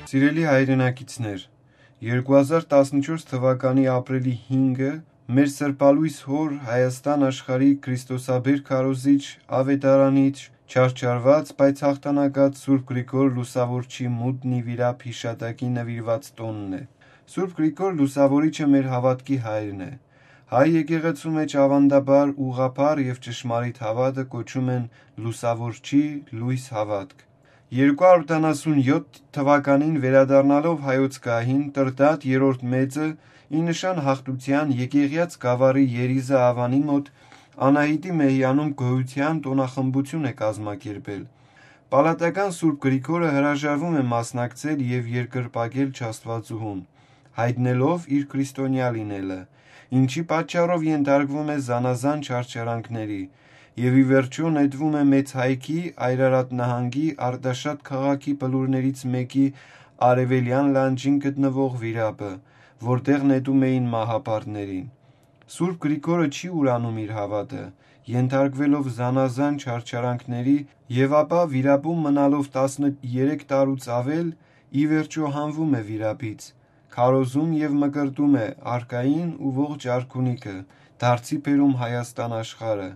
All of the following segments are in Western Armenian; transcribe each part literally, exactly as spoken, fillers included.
Սիրելի հայրենակիցներ, երկու հազար տասնչորս թվականի ապրիլի հինգը մեր սրբալույս հօր Հայաստան աշխարհի Քրիստոսաբեր քարոզիչ, ավետարանիչ, չարչարված, բայց հաղթանակած Սուրբ Գրիգոր Լուսավորչի մուտն ի վիրապ հիշատակի նվիրված տօնն է։ Սուրբ Գրիգոր Լուսավորիչը մեր հաւատքի հայրն է։ Հայ եկեղեցու մէջ աւանդաբար, ուղղափառ եւ ճշմարիտ հաւատը կոչում են Լուսավորչի լոյս հաւատք։ Երկու հարիւր ութանասուն յոթ թվականին վերադառնալով հայոց գահին, Տրդատ երրորդ մեծը, ի նշան հաղթութեան, եկեղեաց գաւառի երիզը Ավանի մօտ Անահիտի Մեհյանում գոյութեան տօնախմբութիւն է կազմակերպել։ Պալատական Սուրբ Գրիգորը հրաժարվում է մասնակցել եւ երկրպագել չաստուածուհուն, յայտնելով իր քրիստոնեայ լինելը, ինչի պատճառով ենթարկվում է զանազան չարչարանքների, եւ ի վերջոյ նետվում է Մեծ Հայքի, Այրարատ նահանգի Արտաշատ քաղաքի բլուրներից մէկի արեւելեան լանջին գտնուող վիրապը, որտեղ նետում էին մահապարտներին։ Սուրբ Գրիգորը չի ուրանում իր հաւատը, ենթարկուելով զանազան չարչարանքների, եւ ապա վիրապում մնալով տասներեք տարուց աւել, ի վերջոյ հանվում է վիրապից, քարոզում եւ մկրտում է արքային ու ողջ արքունիքը, դարձի բերում Հայաստան աշխարհը,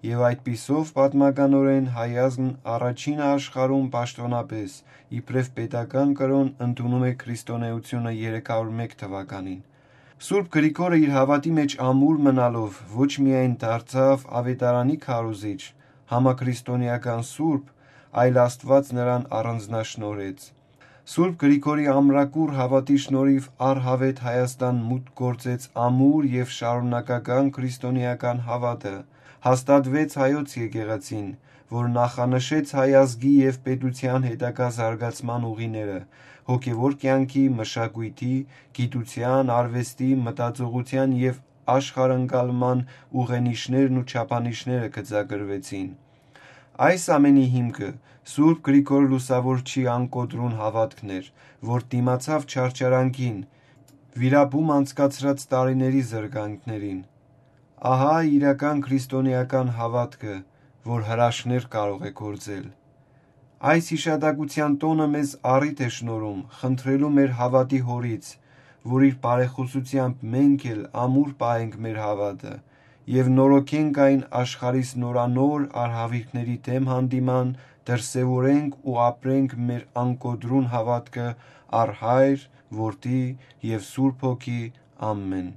եւ այդպիսով պատմականօրէն հայազգն առաջինը աշխարհում պաշտօնապէս, իբրեւ պետական կրօն, ընդունում է քրիստոնէությունը երեք հարիւր մէկ թվականին։ Սուրբ Գրիգորը իր հաւատի մէջ ամուր մնալով ոչ միայն դարձաւ աւետարանի քարոզիչ, համաքրիստոնէական սուրբ, այլ Աստուած նրան առանձնաշնորհեց։ Սուրբ Գրիգորի ամրակուռ հաւատի շնորհիվ առհաւետ Հայաստան մուտք գործեց ամուր եւ շարունակական քրիստոնէական հաւատը, հաստատվեց հայոց եկեղեցին, որ նախանշեց հայ ազգի եւ պետութեան հետագայ զարգացման ուղիները, հոգեւոր կեանքի, մշակոյթի, գիտութեան, արուեստի, մտածողութեան եւ աշխարհընկալման ուղենիշներն ու չափանիշները գծագրուեցին։ Այս ամենի հիմքը Սուրբ Գրիգոր Լուսավորչի անկոտրուն հաւատքն էր, որ դիմացաւ չարչարանքին, վիրապում անցկացրած տարիների զրկանքներին։ Ահա իրական քրիստոնէական հաւատքը, որ հրաշքներ կարող է գործել։ Այս յիշատակութեան տօնը մեզ առիթ է շնորհում խնդրելու մեր հաւատի Հօրից, որ իր բարեխօսութեամբ մենք էլ ամուր պահենք մեր հաւատը եւ նորոգենք այն աշխարհիս նորանոր արհաւիրքների դէմ հանդիման, դրսեւորենք ու ապրենք մեր անկոտրուն հաւատքը առ Հայր, Որդի եւ Սուրբ Հոգի։ Ամէն։